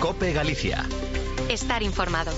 COPE Galicia. Estar informado.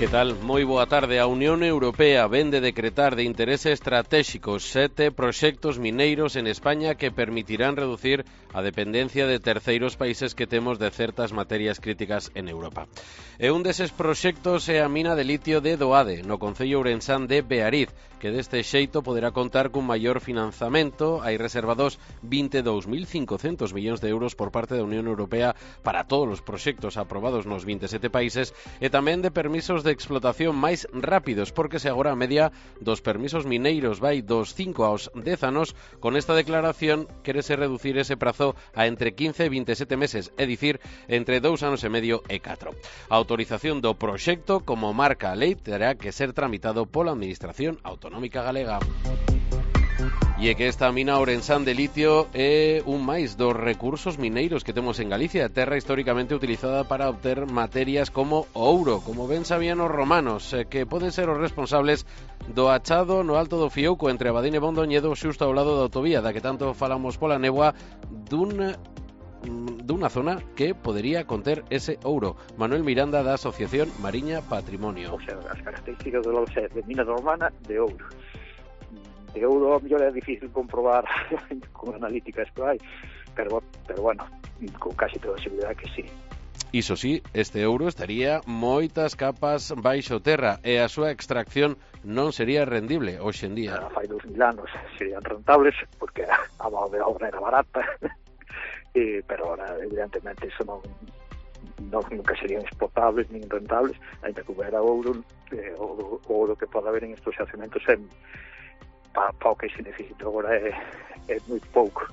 Que tal? Moi boa tarde. A Unión Europea vén de decretar de interese estratégico 7 proxectos mineiros en España que permitirán reducir a dependencia de terceiros países que temos de certas materias críticas en Europa. E un deses proxectos é a mina de litio de Doade, no concello ourensán de Beariz, que deste xeito poderá contar cun maior financiamento. Hai reservados 22.500 millóns de euros por parte da Unión Europea para todos os proxectos aprobados nos 27 países e tamén de permisos de explotación máis rápidos, porque se agora a media dos permisos mineiros vai dos 5 aos 10 anos, con esta declaración quérese reducir ese prazo a entre 15 e 27 meses, é dicir, entre 2 anos e medio e 4. A autorización do proxecto, como marca a lei, terá que ser tramitado pola Administración Autonómica Galega. E é que esta mina ourensán de litio é un máis dos recursos mineiros que temos en Galicia, terra históricamente utilizada para obter materias como o ouro, como ben sabían os romanos, que poden ser os responsables do achado no Alto do Fiouco entre Abadín e Mondoñedo, xusto ao lado da autovía, da que tanto falamos pola néboa, dunha zona que podería conter ese ouro. Manuel Miranda, da Asociación Mariña Patrimonio. O sea, as características do de mina romana de ouro. De ouro, a mellor é difícil comprobar con analíticas que hai, pero bueno, con casi toda a seguridade que sí. Iso sí, este ouro estaría moitas capas baixo terra e a súa extracción non sería rendible hoxe en día. Fai 2000 anos serían rentables porque a mão de obra era barata, pero ahora evidentemente eso nunca serían exportables nin rentables, ainda que houbera ouro, o ouro que pode haber en estos xacementos para o que se necesita agora é moi pouco.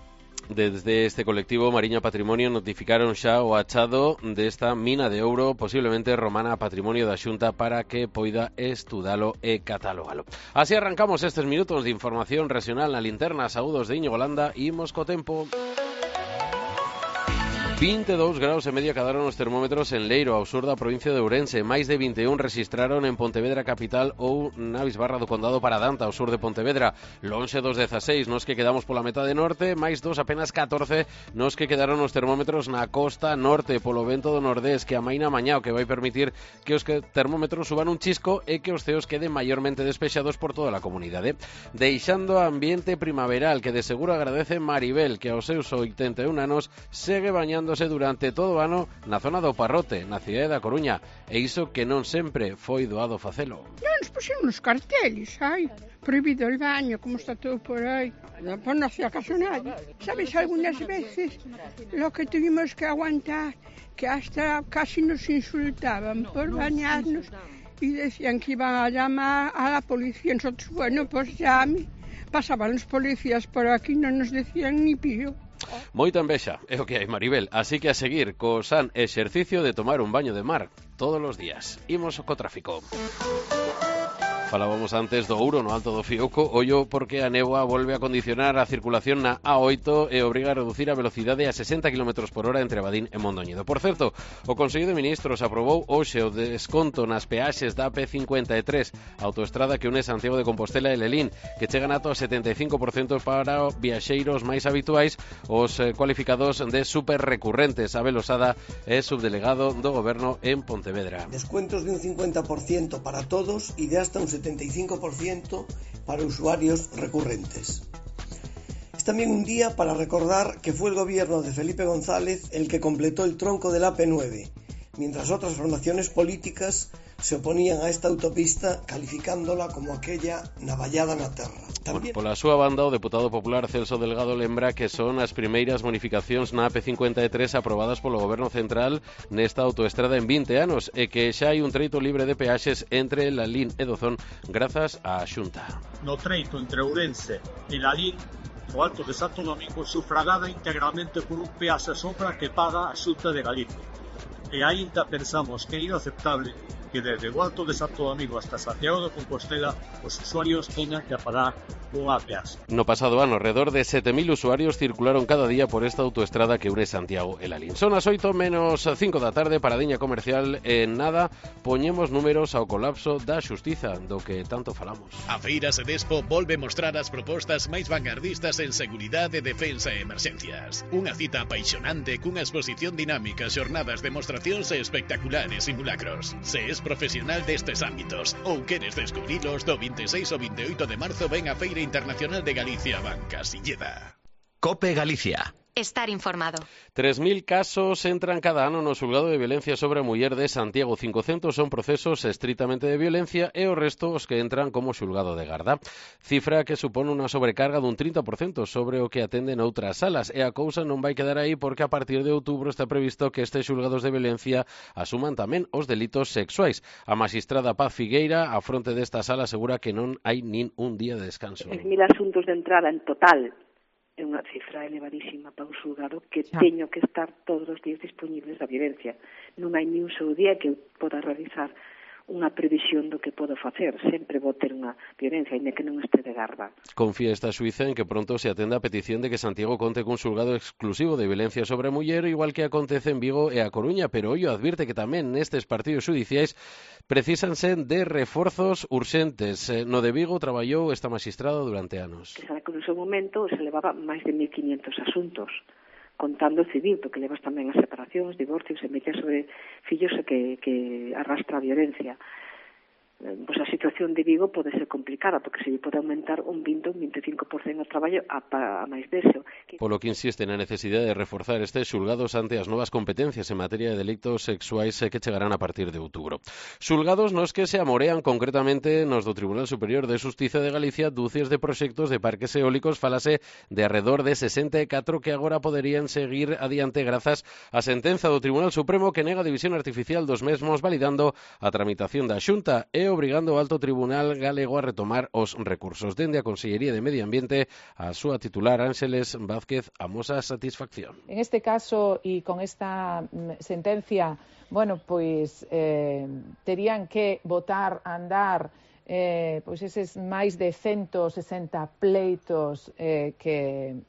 Desde este colectivo Mariña Patrimonio notificaron xa o achado desta mina de ouro, posiblemente romana, a patrimonio da Xunta, para que poida estudalo e catalogalo. Así arrancamos estes minutos de información regional na linterna. Saúdos de Íñigo Landa, imos co tempo. 22 graus e medio quedaron os termómetros en Leiro, ao sur da provincia de Ourense. Máis de 21 registraron en Pontevedra capital ou na Bisbarra do Condado para Danta, ao sur de Pontevedra. Lonxe dos 16 nos que quedamos pola metade norte, máis dos apenas 14 nos que quedaron os termómetros na costa norte polo vento do nordés, que amaina mañá, o que vai permitir que os termómetros suban un chisco e que os ceos queden maiormente despexados por toda a comunidade. Deixando ambiente primaveral, que de seguro agradece Maribel, que aos seus 81 anos segue bañando durante todo o ano na zona do Parrote, na cidade da Coruña, e iso que non sempre foi doado facelo. Non nos puxeron nos carteles, prohibido el baño, como está todo por aí. Pues non hacía caso nadie. Sabes, algunas veces lo que tuvimos que aguantar, que hasta casi nos insultaban por bañarnos y decían que iban a llamar a la policía. Nosotros, bueno, pues llame. Pasaban los policías por aquí, non nos decían ni pío. Moita envexa, é o que hai, Maribel, así que a seguir co san exercicio de tomar un baño de mar todos os días. Imos co tráfico. Falábamos antes do ouro no Alto do Fiouco, ollo porque a néboa volve a condicionar a circulación na A8 e obriga a reducir a velocidade a 60 km por hora entre Abadín e Mondoñedo. Por certo, o Consello de Ministros aprobou hoxe o desconto nas peaxes da AP53, autoestrada que une Santiago de Compostela e Lelín, que chegan ata o 75% para viaxeiros máis habituais, os cualificados de super recurrentes. Abel Osada é subdelegado do Goberno en Pontevedra. Descuentos de un 50% para todos y de hasta un 75% para usuarios recurrentes. Es también un día para recordar que fue el gobierno de Felipe González el que completó el tronco del AP9, mientras otras formaciones políticas se oponían a esta autopista calificándola como aquella navallada na terra. También... Pola súa banda, o deputado popular Celso Delgado lembra que son as primeiras bonificacións na AP53 aprobadas polo Goberno Central nesta autoestrada en 20 anos e que xa hai un treito libre de peaxes entre Lalín e Dozón grazas á Xunta. No treito entre Ourense e Lalín, o Alto de Santo Domingo sufragada integralmente por un peaxe sombra que paga a Xunta de Galicia. E aínda pensamos que é inaceptable que desde o Alto de Santo Domingo hasta Santiago de Compostela os usuarios tengan que pagar cunha peaxe. No pasado ano, alrededor de 7.000 usuarios circularon cada día por esta autoestrada que une Santiago e Lalín. Son as 8 menos 5 da tarde, paradiña comercial. En nada, poñemos números ao colapso da xustiza, do que tanto falamos. A Feira Sedespo volve mostrar as propostas máis vanguardistas en seguridade, defensa e emerxencias. Unha cita apaixonante cunha exposición dinámica, xornadas, demostracións e espectaculares simulacros. Se es profesional destes ámbitos ou queres descubrilos, do 26 ao 28 de marzo ven a Feira Internacional de Galicia Banca Silleda. COPE Galicia. Estar informado. 3.000 casos entran cada ano no xulgado de violencia sobre a muller de Santiago. 500 son procesos estritamente de violencia e o resto os que entran como xulgado de garda. Cifra que supone unha sobrecarga dun 30% sobre o que atenden outras salas. E a cousa non vai quedar aí porque a partir de outubro está previsto que estes xulgados de violencia asuman tamén os delitos sexuais. A magistrada Paz Figueira, a fronte desta sala, asegura que non hai nin un día de descanso. 10.000 asuntos de entrada en total. É unha cifra elevadísima para un xulgado que teño que estar todos os días disponibles da violencia. Non hai ni un só día que eu poda realizar unha previsión do que podo facer. Sempre vou ter unha violencia, ainda que non este de garda. Confía esta xuíza en que pronto se atenda a petición de que Santiago conte cun xulgado exclusivo de violencia sobre a muller, igual que acontece en Vigo e a Coruña, pero ollo advirte que tamén nestes partidos xudiciais precísanse de reforzos urxentes. No de Vigo traballou esta magistrada durante anos. Que sabe que no seu momento se levaba máis de 1.500 asuntos, contando o civil, porque levas tamén as separacións, divorcios e medidas sobre fillos que arrastra a violencia. Pois a situación de Vigo pode ser complicada, porque se pode aumentar un 20 ou un 25% o traballo a máis deso. Polo que insiste na necesidade de reforzar estes xulgados ante as novas competencias en materia de delitos sexuais que chegarán a partir de outubro. Xulgados nos que se amorean concretamente nos do Tribunal Superior de Xustiza de Galicia dúcias de proxectos de parques eólicos. Falase de arredor de 64 que agora poderían seguir adiante grazas á sentenza do Tribunal Supremo que nega a división artificial dos mesmos, validando a tramitación da Xunta e obrigando ao Alto Tribunal Galego a retomar os recursos. Dende a Consellería de Medio Ambiente, a súa titular Ángeles Vázquez amosa satisfacción. En este caso e con esta sentencia, bueno, pois terían que botar a andar pois eses máis de 160 pleitos que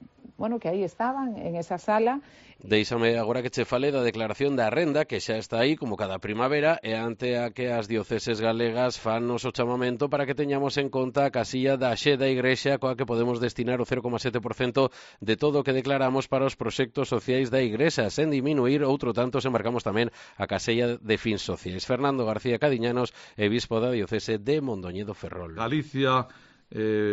aí estaban en esa sala. Deixame agora que che fale da declaración da renda que xa está aí como cada primavera e ante a que as dioceses galegas fan o chamamento para que teñamos en conta a casilla da xe da Igrexa coa que podemos destinar o 0,7% de todo o que declaramos para os proxectos sociais da Igrexa, sen diminuir outro tanto se marcamos tamén a casella de fins sociais. Fernando García Cadiñanos, bispo da diocese de Mondoñedo Ferrol. Galicia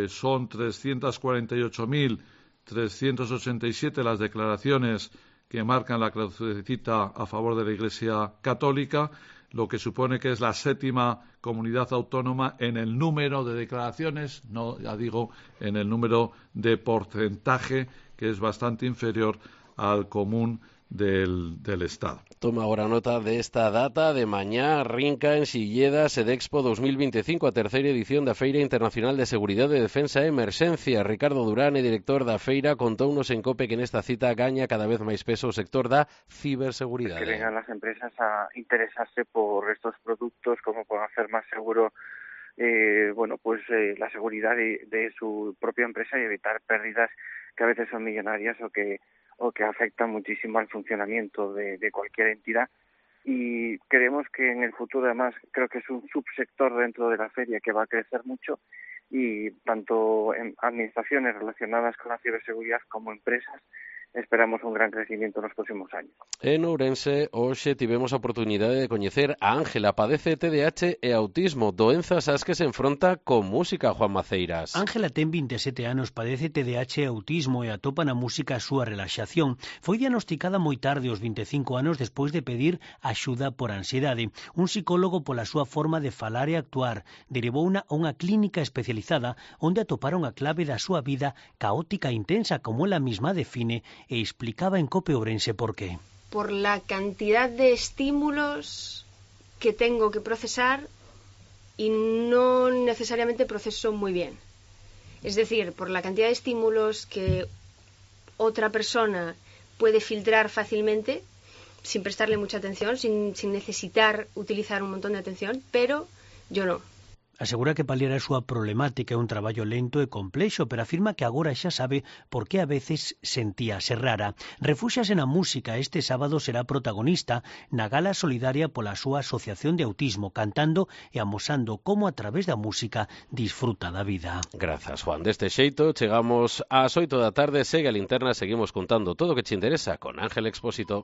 son 348.387 las declaraciones que marcan la crucecita a favor de la Iglesia Católica, lo que supone que es la 7ª comunidad autónoma en el número de declaraciones, no, ya digo, en el número de porcentaje, que es bastante inferior al común del Estado. Toma agora nota desta data de mañá, rinca en Silleda Sedexpo 2025, a terceira edición da Feira Internacional de Seguridade, Defensa e Emerxencia. Ricardo Durán, director da feira, contounos en COPE que nesta cita gaña cada vez máis peso o sector da ciberseguridade. Que vengan las empresas a interesarse por estos productos, cómo pueden hacer más seguro la seguridad de su propia empresa y evitar pérdidas que a veces son millonarias o que afectan muchísimo al funcionamiento de cualquier entidad. Y creemos que en el futuro, además, creo que es un subsector dentro de la feria que va a crecer mucho, y tanto en administraciones relacionadas con la ciberseguridad como empresas esperamos un gran crecimiento nos próximos años. En Ourense, hoxe tivemos a oportunidade de coñecer a Ángela, padece TDAH e autismo, doenzas ás que se enfronta con música. Juan Maceiras. Ángela ten 27 anos, padece TDAH e autismo e atopa na música a súa relaxación. Foi diagnosticada moi tarde, aos 25 anos, despois de pedir axuda por ansiedade. Un psicólogo, pola súa forma de falar e actuar, derivouna a unha clínica especializada onde atoparon a clave da súa vida caótica e intensa, como ela mesma define, e explicaba en COPE Ourense por qué. Por la cantidad de estímulos que tengo que procesar y no necesariamente proceso muy bien. Es decir, por la cantidad de estímulos que otra persona puede filtrar fácilmente, sin prestarle mucha atención, sin necesitar utilizar un montón de atención, pero yo no. Asegura que paliar a súa problemática é un traballo lento e complexo, pero afirma que agora xa sabe por que a veces sentíase rara. Refúxase na música. Este sábado será protagonista na gala solidaria pola súa asociación de autismo, cantando e amosando como a través da música disfruta da vida. Grazas, Juan. Deste xeito, chegamos ás 8 da tarde, segue a linterna, seguimos contando todo o que te interesa con Ángel Expósito.